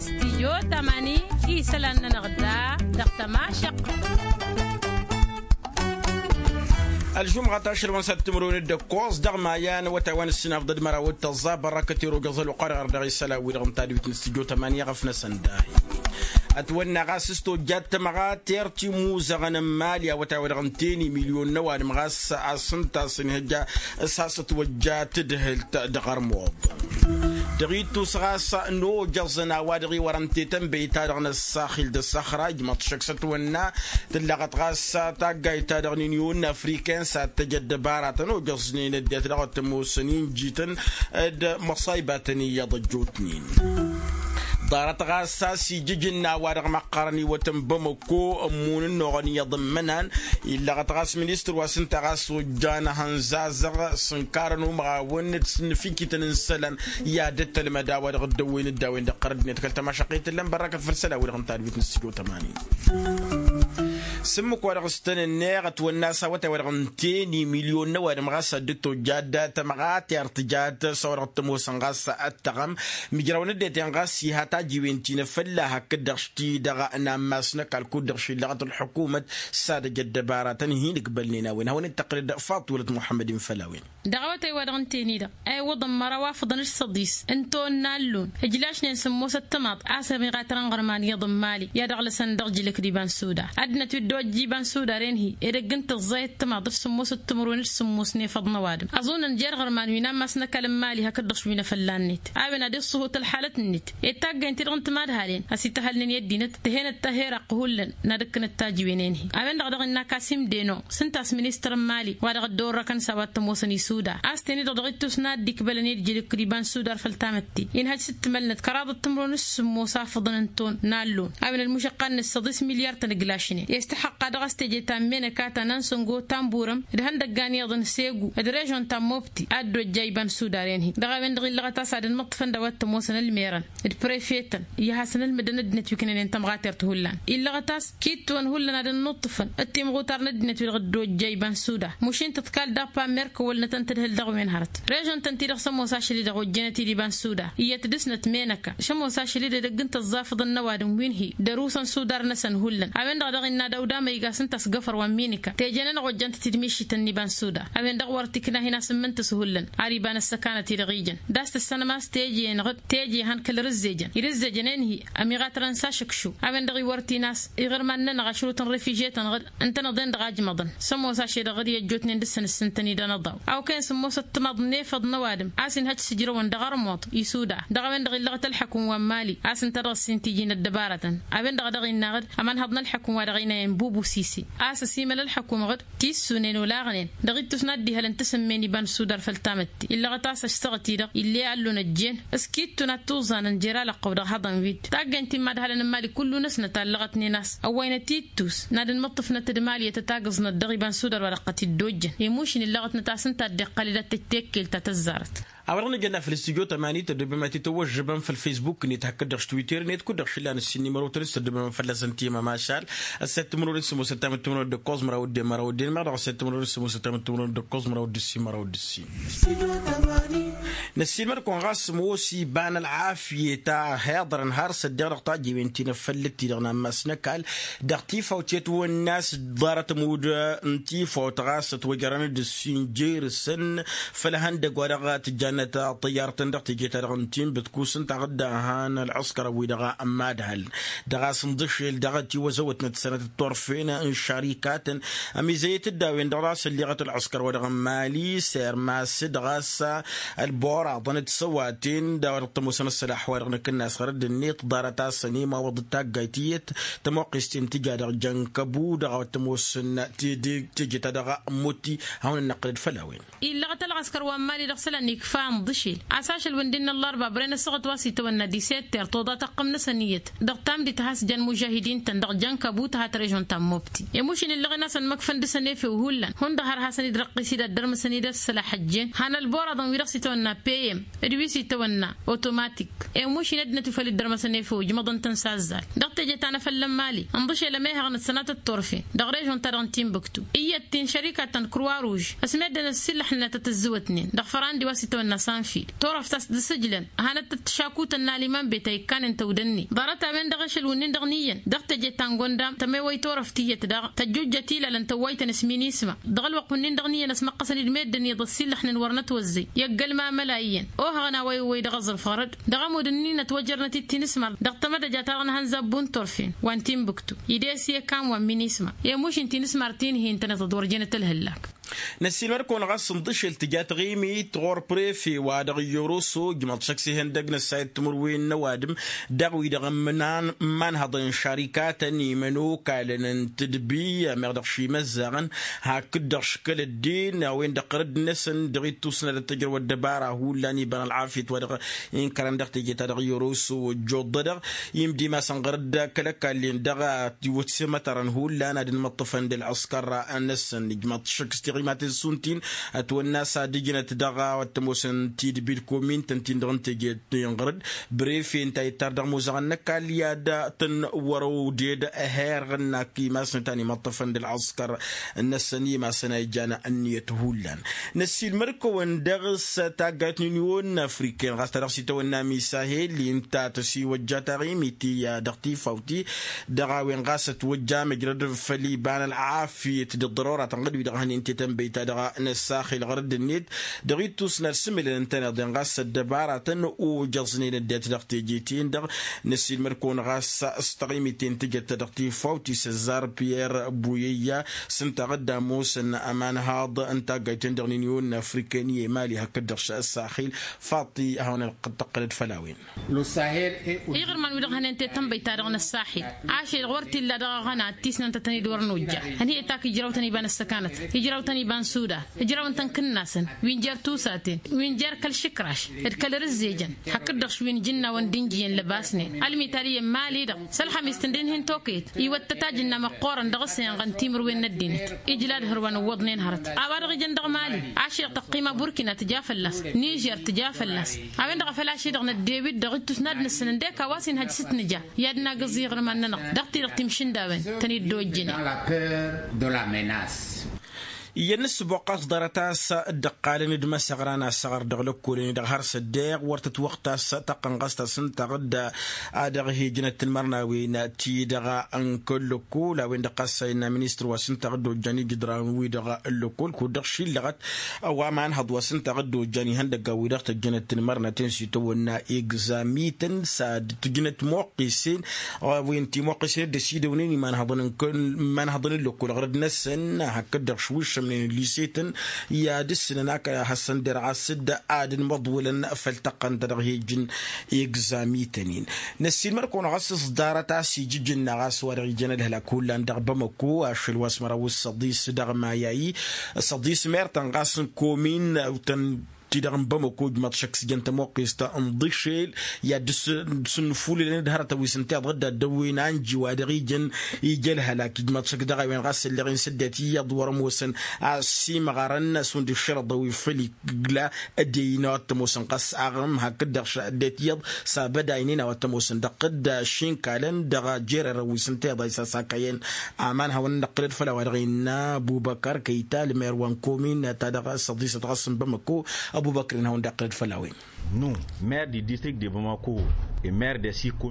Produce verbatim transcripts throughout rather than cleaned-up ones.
Stijyo tamani isălan-nănăɣ da dăɣ-tămašăq. Ălžumɣa tašălwăn s-ad-timǝrwen d-ǝkkoẓ dăɣ-maya n-awătay wa n-ǝssinafḍăd măraw d-tăẓẓa bărăkăt irogăẓ ălwăqq-wa-dăɣ ardăɣ isălan-wi-dăɣ n-tadwit n-stijyo tamani iɣăf-năsăn dahi. Ătwănna ɣas s-tojjat tămɣa tirtimuzăɣăn n-imali awătay wa dăɣ-ǝnta i-milyon n-ăwadǝm ɣas a-s ǝnta a-s ǝnhǝjja s-has-ătwăjja tadhǝlt dăɣ-ărmuḍ. Dăɣ-ittus ɣas n-ojăẓăn a-wa dăɣ-iwărăn tetănbăyt-ta-dăɣ n-ăssaxil d-ăssaxra ijmăḍ šăkk s-ătwănna tǝllaɣăt ɣas taggayt-ta-dăɣ n-inyon afriken s-ad-tăj ăddăbaratăn ojăẓnen ăddinăt dăɣ-wăr t-ămoosăn injităn d-măṣaybatăn iyyăḍ ăjjootnen. Ḍarăt ɣas a-s ijǝjǝnna a-wa-dăɣ măqqărăn iwătăn bamăkko ămmun ănnuɣăn iyyăḍ n-imănan. Illăɣăt ɣas ministăr wa s-ǝnta ɣas ojjan ehăn zazăɣ s-ǝnkarăn umăɣawăn d-sǝnnǝfikităn n-isălan i-ad-dd-tălmăd a-wa-dăɣ dd-ăwwen dd-a-wen dăɣ-qărăd-net kăl-tămašăqqet tǝllăm bărrăkăt făll-isălan-wi-dăɣ n-tadwit n-sǝjo tămani. S-ǝmmǝk wa dăɣ-s tăn-ǝnneɣ ătwănna a-s awătay wa dăɣ-ǝnta i-milyon n-ăwadǝm ɣas ad-dd-tojjat dat-tămɣat i-ar tǝjat s-a-wa dăɣ-t-ămoosăn ɣas ăttăɣăm. Mijrawăn ăddinăt-en ɣas iha tajiwen ti n-afălla hakd-dăɣ š-ti-dăɣ n-ammas n-ăkall kud-dăɣ šillăɣăt ălḥukumăt s-ad-ăj ăddăbaratăn hin-ǝkbălnen a-wen hawăn-dd-tăqqǝlăd faḍt wălăt muḥămmăd-in făll-a-wen. Dăɣ-awătay wa dăɣ-ǝnta-en-i-dăɣ a iwwăḍăn măraw afǝḍăn d-săḍis n-tawănna allun ǝjlašnen sǝmmos ăttămaḍ a-s ămiɣatărăn ɣărman iyyăḍ n-imali i-ad-ăɣlăsăn dăɣ-ijǝlǝk d-iba n-suda. Ăddinăt wi dd-ojja iba n-suda ren-hi edăgg n-tǝẓẓay ăttămaḍ d-sǝmmos ăttămărwen d-sǝmmos n-efăḍ n-ăwadǝm ăẓunăn jer-iɣărman wi n-ammas n-ăkall n-imali hakd-dăɣ š-wi n-efălla-net a-wen ad-iṣṣuhut ălḥalăt-net. Ed taggaynt-ti-dăɣ n-timadhalen a-s ităhălnen i-ăddinăt tǝhenăt taher ăqqǝhullăn n-ad-ǝkkǝnăt tajiwen-en-hi. A-wen-dăɣ a dăɣ-innă kasim deno s-ǝnta a-s ministăr n-imali wa dăɣ-ăddoorrăkăn s-a-wa t-ămoosăn isuda a-s ten-i-dăɣ dăɣ-ittus n-ad-dd-ikbălăn i-dd-jilǝk d-iba n-sudar făll-tamătte. Inhăj s-dd-tǝmălnăt kăraḍăt timǝrwen s-sǝmmos afǝḍăn n-ton n-allun a-wen ălmušăqqa-net săḍis milyar-tăn ǝglašnen i-s tăhăqqa dăɣ-s teje ta n-menăka ta n-ansăngo ta n-burăm d-ihăndăggan iyyăḍ n-segu d-režon ta n-mobti a dd-ojja iba n-sudaren-hi. Dăɣ-a-wen-dăɣ illăɣăt a-s ad-ănmăṭṭǝfăn d-a-wa t-ămoosăn ălmerăn d-prefetăn i-ad-hasăn-ǝlmǝdăn ăddinăt wi kănănen tămɣatert hullan. Illăɣăt a-s kittuwăn hullan ad-ănnuṭṭǝfăn d-timɣutar n-ăddinăt-wi-dăɣ dd-ojja iba n-suda mušin tǝḍkal dappa n-merkăwălnătăn tǝdhǝl dăɣ-wen hărăt režon-tăn-ti-dăɣ s-ămoos ašăl-i-dăɣ ojjănăt-dd iba n-suda iyyăt dăɣ-snăt menăka s-ămoos ašăl-i-dăɣ edăgg n-tăẓẓafǝḍăn n-ăwadǝm wi n-hi dăr-usăn sudar-năsăn hullan. A-wen-dăɣ daɣ innă ad-awd amăyga s-ǝnta a-s găfăr wa n-minǝka teje-nănăɣ ojjăn-t-dd mišităn n-iba n-suda. A-wen-dăɣ wăr t-ikna a hin-asǝmmǝn tǝshǝhǝllăn ar iba n-ăssăkanăt-i-dăɣ ijăn d-a-s tǝssănăm a-s teje-enăɣ-dd teje han kăl-irǝzzejăn irǝzzejăn-en-hi ămiɣatărăn s-ašǝkšu. A-wen-dăɣ iwăr t-in a-s iɣărman-nănăɣ ašrut n-refiže-tăn-dăɣ ǝntăneḍ-en-dăɣ a ǝjmăḍăn s-ămoos ašăl-i-dăɣ dd-i ăjjootnen dăr-săn ǝssǝntăn-dd anăḍaw. Awkăyăn s-ămoos ăttămaḍ n-efăḍ n-ăwadǝm a-s inhăj s-ǝjrăwăn dăɣ-armuḍ isuda. Dăɣ-a-wen-dăɣ illăɣăt ălḥăkum wa n-mali a-s ǝnta dăɣ-s hin-t-iji n-ăddăbarătăn. A-wen-dăɣ a dăɣ-innă aɣǝd ămanhăḍ n-ălḥăkum wa dăɣ-inayăn bubu sisi a-s ăsimăl ălḥăkum aɣǝd tissunen olaɣnen dăɣ-ittus n-ad-dd-ihălăn tasǝmme n-iba n-sudar făll-tamătte. Illăɣăt a-s ăšsăɣăt-i-dăɣ ill'-e allun ăjjeen s-kittun ad-tuẓanăn jer-alăqqăw dăɣ-ihăḍăn wi-dd taggaynt-ti n-imadhalăn n-imali kullu-năsnăt a ǝllăɣătnen a-s ăwwăynăt ittus n-ad-ănmăṭṭǝfnăt d-imali i-tăt-agǝẓnăt dăɣ-iba n-sudar wa dăɣ-tăt-dd-ojjăn. Imušǝn illăɣătnăt a-s ǝnta a dd-iqqăl i-dat-tăt-tekkelt ta tăzzarăt. A-wa-dăɣ nǝjănna făll-studyo tămani tăddobem a t-tăwwăžžăbăm făll-facebook-net hakd-dăɣ s-twitter-net kud-dăɣ šǝllan ǝssin n-imărotăn s-tăddobem fălla-săn timămašal. Ăssăt timǝrwen s-ămoosăt tamǝt timǝrwen d-ǝkkoẓ măraw d-e măraw d-en măraw dăɣ-ăssăt timǝrwen s-ămoosăt tamǝt timǝrwen d-ǝkkoẓ măraw d-ǝssin măraw d-ǝssin. Năssiilmăd-kăwăn ɣas s-ămoos iba n-ălɣafyăt a heḍărăn har s-ăddeɣ dăɣ-tajewen ti n-afăllăt-ti-dăɣ n-ammas n-ăkall dăɣ-tifawt i-ătwănna n-a-s ḍarăt ămudd n-tifawt ɣas ătwăjrăn d-ǝssin jer-săn. Făll-ihăndăgg wa dăɣ-tǝjjannăt ăṭṭăyyar-tăn dăɣ-teje-ta-dăɣ n-tinbǝtkus ǝnta a dd-han ălɣǝskărăn-wi-dăɣ n-imadhal dăɣ-a-s ǝnḍǝšel dăɣ-tiwăzăwătnăt sănătăt turfen n-išarikatăn. Ămizăyăt-dd a-wen-dăɣ dăɣ-a-s ălleɣăt ălɣǝskăr wa dăɣ-n mali sermas dăɣ-a-s ălboraḍăn d-săwaten d-a-wa dăɣ-tămoosăn ăssălaḥ wa dăɣ-năkk n-asɣăr d-ǝnnet ḍarăt-asăn i-mawăḍ d-taggayt tiyyăt tămoqqes-ten tǝja dăɣ-jăn kăbu dăɣ-a-wa t-ămoosăn tedeg teje-ta-dăɣ. Muti hawăn-ănnăqqǝlăd făll-a-wen. Illăɣăt ălɣăskăr wa n-mali dăɣ-isălan ikfa ǝnḍǝšel a-s ašăl wi n-dd-innă ăllarba bărăy n-ăssaɣăt wa s-itawănna disetter toḍa tăqqǝm-năsăn iyyăt dăɣ-tamdit a has-jan mužahidin-tăn dăɣ-jăn kăbu tǝha tărežon ta n-mobti. Imušǝn illăɣen-asăn măkfăn dăɣ-săn efew hullan hundăɣ har hasăn-dd-răqqis-dd ăddărmăsăn-dd ăssălaḥ ăjjeen han ălboraḍăn wi dăɣ-s itawănna. Peyem d-wi s-itawănna otomatik. Emuš-in ăddinăt wi făl dd-ărmăsăn efăw ǝjmăḍăn-tăn s-azzal dăɣ-teje ta n-afăllăn mali ǝnḍǝšel ămehăɣ n-ăssănatăt turfen dăɣ-režon-ta-dăɣ n-tinbǝktu iyyăt-t-in šărikatăn kruwa ruž. Ăsmeddăn ăssiillăḥnănăt a tǝzzǝwătnen dăɣ-fărandi wa s-itawănna sanfil turăft a-s dd-sǝjlăn. Hanăt-tăt-t šakutăn n-aliman beta ikkanen tăwdănne ḍarăt-a-wen dăɣ-ašăl wǝnnin-dăɣ n-iyyăn dăɣ-teje ta n-gondam tămewăy turăft iyyăt daɣ tăjjujjăt ilalăn tăwwaytăn s-minisma. Dăɣ-ălwăqq wǝnnin-dăɣ n-iyyăn ăsmăqqăsăn-dd meddǝn iyyăḍ ăssiillăḥnen wăr nătwăzzăy i-ăgg ălmamăla iyyăn ohăɣăn a-wa iwwăy dăɣ-aẓrǝf ɣărăd. Dăɣ-ămudd-ǝnnin ătwăjărnăt-dd tinǝsmar dăɣ-tamădăja-ta-dăɣ n-hănzabbu n-turfen wa n-tinbǝktu. Ide-s i-ăkam wa n-minisma i-muš n-tinǝsmar ti n-hi-ǝntănăt d-wăr jenăt ălhǝllak. Năssiilmăd-kăwăn ɣas ǝnḍǝšel tǝja taɣimit ɣur-prefe wa dăɣ-iyyăr oso ǝjmăḍ šăkk s-ihăndăg n-ăssayăt timǝrwen n-ăwadǝm dăɣ-wi-dăɣ ǝmman ǝmmanhăḍăn šarikatăn imănokalăn n-tǝdbi ămeɣ dăɣ-šimăzzaɣăn. Hakd-dăɣ škăl ăddin a-wen-dăɣ ɣărădd-năsăn dăɣ-ittus n-ad-ăttăjrăw ăddăbara hullan iba n-ălɣafyăt wa dăɣ-inkărăn dăɣ-teje ta dăɣ-iyyăr oso ăjjoḍ-dăɣ imdimasăn ɣărădd kăl-ăkall-en dăɣ-a tiwǝtsemătărăn hullan ad-ǝnmăṭṭăfăn d-ălɣǝskăr-năsăn ǝjmăḍ šăkk s-tiɣimaten s-untin. Ătwănna a-s ad-ǝjnăt dăɣ-a wa t-ămoosăn tidbi d-komintăn-tin-dăɣ n-teje n-ɣărăd brefe ǝnta ittar dăɣ-imuzăɣăn n-ăkall i-ad-tăn-wăr-ăwded. Ăherɣăn n-ak imasnăt a n-imăṭṭăfăn d-ălɣǝskăr-năsăn i-imasăn a ijan ǝnniyăt hullan. Năssiilmăd-kăwăn dăɣ-s taggayt n-unyon afriken ɣas ta dăɣ-s itawănna misahel inta tăsiwăjja taɣimit i-ad-dăɣ-tifawt-i dăɣ-a-wen ɣas ătwăjja măjrăd făll-iba n-ălɣafyăt d-ăḍḍărora tănɣăd wi-dăɣ hănen tetănbăyt-ta-dăɣ n-ăssaxil ɣărădd-net. Dăɣ-ittus n-ad-sǝmǝlăn ǝntăneḍ-en ɣas ăddăbaratăn ojăẓnen ăddinăt dăɣ-teje-ten-dăɣ. Năssiilmăd-kăwăn ɣas s-taɣimit-en tǝjăt ta dăɣ-tifawt-i s-ăzzar piyerr buyăyya s-ǝnta ɣǝdda ămoosăn ămanhaḍ n-taggayt-en-dăɣ n-unyon afriken i-emali hakd-dăɣ s-ăssaxil. Faḍt-i hawăn-ălqǝd tăqqălăd făll-a-wen. Iɣrǝman wi-dăɣ hănen tetănbăyt-ta-dăɣ n-ăssaxil ašăl-i-dăɣ wăr t-illa dăɣ-aɣăna d-tisnăn-tătăn-dd wăr nojja. Hănhăyăt ak-ijrawtăn iba n-ăssăkanăt ijrawtăn iba n-sudan ǝjrawăn-tăn kǝnnasăn wi n-jer-tusaten wi n-jer-kăl-išǝkraš d-kăl-rǝzzejăn. Hakd-dăɣ wi n-ijǝnnawăn d-injǝyăn lăbasnen ălmital iyyăn mali-dăɣ s-ălxămis tǝndǝnhin tokăyăt iwăttăt ajǝnna măqqoorăn dăɣ-s enɣăn timǝrwen n-ăddinăt. Ijlad hărwa n-ǝwwăḍnen hărăt a-wa-dăɣ ijăn dăɣ-mali ašăl-i-dăɣ tăqqima burkina tǝja fălla-s nižer tǝja fălla-s. A-wen-dăɣ a făl ašăl-i-dăɣ năddew-dd dăɣ-ittus n-ad-năsǝnăn d-eka a-wa s-inhăj s-ǝtnǝja i-ad-nagǝẓ iɣrǝman-nănăɣ dăɣ-ti-dăɣ timšǝndawăn tăn-dd-ojjǝnen. Iyyăn n-ǝssǝboqqa s-ḍarăt a-s dd-ǝqqalăn d-imăsăɣran asăɣăr dăɣ-lăkkolăn-i-dăɣ har s-ăddeeɣ wăr tătwăɣtas taqqăn ɣas tasǝntaɣ-dd a dăɣ-hijnăt n-imărnawen ti-dăɣ n-kăl-lăkkol a-wen-dăɣ ɣas a innă ministăr wa s-ǝntaɣ-dd ojjan ijǝdran-wi-dăɣ n-lăkkol kud-dăɣ šillăɣăt. Wa imanhăḍ wa s-ǝntaɣ-dd ojjan ihăndăggan-wi-dăɣ tăjjănăt n-imărnaten s-itawănna egzamităn s-ad-tǝjnăt muqqisen wi n-timuqqisen dd-ăsidăwnen imanhăḍăn n-lăkkol ɣărăd-năsăn hakd-dăɣ šwišămnen n-lisetăn i-ad-ǝssǝnăn akăla hasăn-derɣas dd-ad-ǝnmăḍwǝlăn făll-tăqqăn ta dăɣ-hijǝn egzamităn-in. Năssiilmăd-kăwăn ɣas s-ḍarăt a-s ijǝjǝnna ɣas wa dăɣ-ijăn ălhălak hullan dăɣ-bamăko ašăl wa s-măraw s-săḍis dăɣ-mayayi săḍis mertăn ɣas n-komin-tăn ti-dăɣ n-bamăko ǝjmaḍ šăkk s-jăn tămoqqest n-ḍišel i-ad-dăɣ-s ǝnnǝfulǝlăn d-hărătăn wi s-ǝnta iḍăr dd-ad-dăwwen anji wa dăɣ-ijăn ija ălhălak ijmaḍ šăkk dăɣ-a-wen ɣas ălleɣ-in s-ăddinăt iyyăḍ wăr-ămoosăn. A ăsimɣarăn šund ǝššărăḍăn wi făll-igla ăddinăt a-wa t-ămoosăn ɣas aɣrǝm hakd-dăɣ ăddinăt iyyăḍ s-abădaynen a-wa t-ămoosăn dăɣ-tădd ašinkalăn dăɣ-jererăn wi s-ǝnta iḍa isasakăyăn. Aman hawăn-dd-ăqqǝlăd făll-a-wa dăɣ-innă abubăkăr kăyta ălmer wa n-komin-ta-dăɣ s-ăḍisăt ɣas n-bamăko. Abubăkăr-in hawăn-dd-ăqqǝlăd făll-a-wen.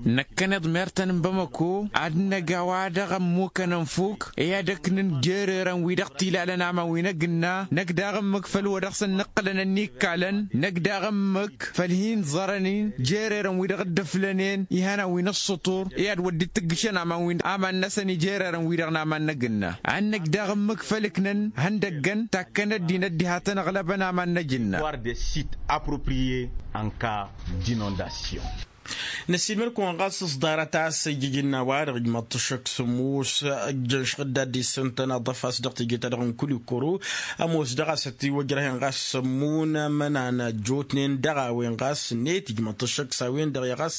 Năkkăneḍ mertăn n-bamăko ad-năg a-wa dăɣ-ămmukăn ănfuk i-ad-ăknǝn jererăn wi dăɣ-t-ilalăn aman wi n-agǝnna năkk daɣ ǝmmǝk făll-wa dăɣ-săn nǝqqǝlăn ănnikkalăn năkk daɣ ǝmmǝk făll-hin-ẓărăn-in jererăn wi dăɣ-dd-ǝflănen ihănan wi n-ăṣṣutur i-ad-wăr dd-tǝggǝšăn aman-năsăn i-jererăn wi-dăɣ n-aman n-agǝnna ad-năj daɣ ǝmmǝk făll-ǝknăn ihăndăggăn takkăn ăddinăt diha tăn-ăɣlăbăn aman n-ajǝnna. Ănka d-inondasyon. Năsiilmăd-kăwăn ɣas s-ḍarăt a-s ijjǝjǝnna-wa-dăɣ ijmaḍ-t ăššăk sǝmmos ǝjjăn šăɣ-dd ad-dd-issǝntăn aḍăf a-s dăɣ-teje-ta-dăɣ n-kulikoro. Ămoos daɣ a-s ătiwăjrăhen ɣas sămmun ămănan ăjjootnen dăɣ-a-wen ɣas ǝnnet ijmaḍ-t ăššăk s-a-wen-dăɣ i-ɣas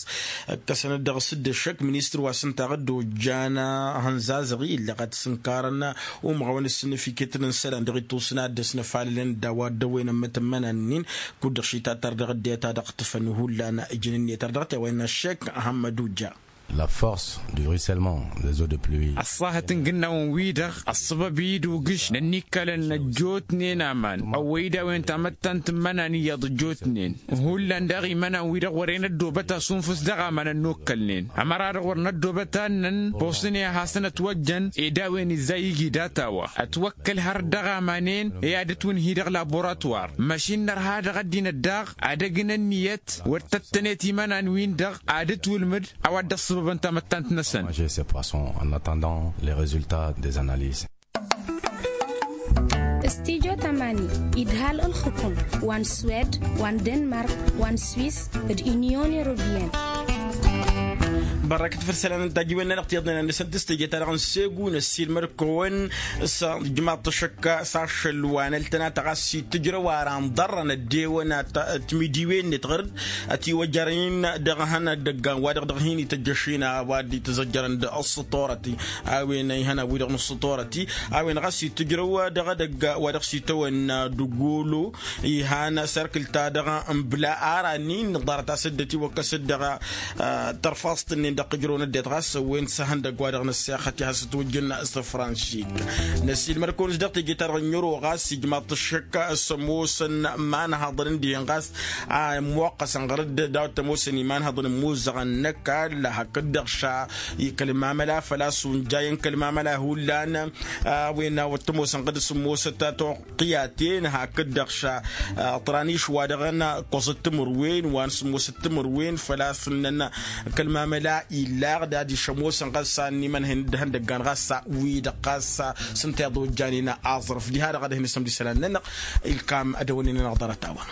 ǝkkăsăn-dd dăɣ-s dd-ăššăk ministăr wa s-ǝnta aɣǝddo ǝjjan ahănzazăɣ-i illăɣ ad-t-sǝnkarăn umɣawăn ǝssǝnnǝf iket n-isălan dăɣ-ittusǝn ad-dd-ăsnăfalălăn d-a-wa dd-ăwwen ămmătămmănan-nin. Kud-dăɣ šitattăr dăɣ-ăddinăt a dăɣ-tǝfăn hullan ǝjǝn-net ar dăɣ-t i-a-wa innă ăššek. Ahămmăd ujja. La force du ruissellement des eaux de pluie. Ăṣṣahăt n-igǝnnawăn-wi-dăɣ ăṣṣăbăb-i d-ugǝš n-ănnikkalăn ăjjootnen aman ăwwăy-dd a-wen tamăttant n-imănan iyyăḍ ăjjootnen. Hullan daɣ imănan-wi-dăɣ wăren ăddoobăt asunfǝs dăɣ-aman ănnukkălnen ămăra-dăɣ wăr năddoobăt annăn. Posăn i-ad-hasăn-ăt wăjjăn ed a-wen izzay igi data-wa ătwăkkăl har dăɣ-aman-en i-ad-ǝtwǝnhi dăɣ-laborătwar. Măšin nărha dăɣ-ăddinăt daɣ ad-ăgg n-ǝnniyăt wăr tăttănet imănan-win-dăɣ ad-ǝtwǝlmǝd a-wa dd-ăṣṣăbăbăn tamăttant-năsăn. Manger ces poissons en attendant les résultats des analyses. Studyo tamani idhal ǝlxǝkum wa n-swed wa n-denmark wa n-swiss d-unyon européenne. Bărrăkăt făll-isălan n-tajǝwen-nănăɣ tiyyăḍnen ad-nǝsăn tǝstăje-ta-dăɣ n-segu năssiilmăd-kăwăn s-ijmaḍ-t ăššăk s-ašăl wa n-ăltănatăɣ a-s itǝjrăw ara n-ḍarrăn ăddewăn. Timidiwen-net ɣăr-dd ătiwăjăr-in dăɣ-ihăn ad-dd-ăggan wa dăɣ-dăɣ hin-ităjjăšin a-wa dd-itǝzăjjărăn d-ăṣṣătorăti. A-wen ihănan-wi-dăɣ n-ăṣṣătorăti a-wen ɣas itǝjrăw dăɣ-edăgg wa dăɣ-s itawănna d-ugolo. Ihan serkǝl-ta-dăɣ n-bla ara nin ḍarăt a-s dd-ătiwăkkăs-dd dăɣ-tărfaẓt-nin dăɣ-tǝjrăw n-ăddinăt ɣas ăwwen s-ehăndăgg wa dăɣ-năssexăt i-ad-hasăt wǝjjǝn s-franšik. Năsiilmăd-kăwăn-s dăɣ-teje-ta-dăɣ n-ero ɣas ijmaḍ-t ăššăk s-ămoosăn imanhaḍăn n-dihen ɣas a ămmoqqăsăn ɣăr-dd daw-t ămoosăn imanhaḍăn ămmuzzăɣăn n-ăkall hakd-dăɣ ša. Ikăl mamăla făl-a-s unjayăn kăl mamăla hullan a-wen a wăr t-ămoosăn ɣǝd s-ămoosăt a toqqiyaten hakd-dăɣ ša. Ăṭraniš wa dăɣ-ănn ăkkoẓăt timǝrwen wa n-sǝmmosăt timǝrwen făl-a-s ǝnnăn kăl-mamăla illaɣ d-ad-išămosăn ɣas a ănn imănhen d-ihăndăggan ɣas a wi-dăɣ ɣas s-ǝnta iḍojjanen aẓrǝf diha-dăɣ ad-hin-isămd isălan-nănăɣ. Ilkam ad-ăwănnen-anăɣ ḍarăt-a-wa.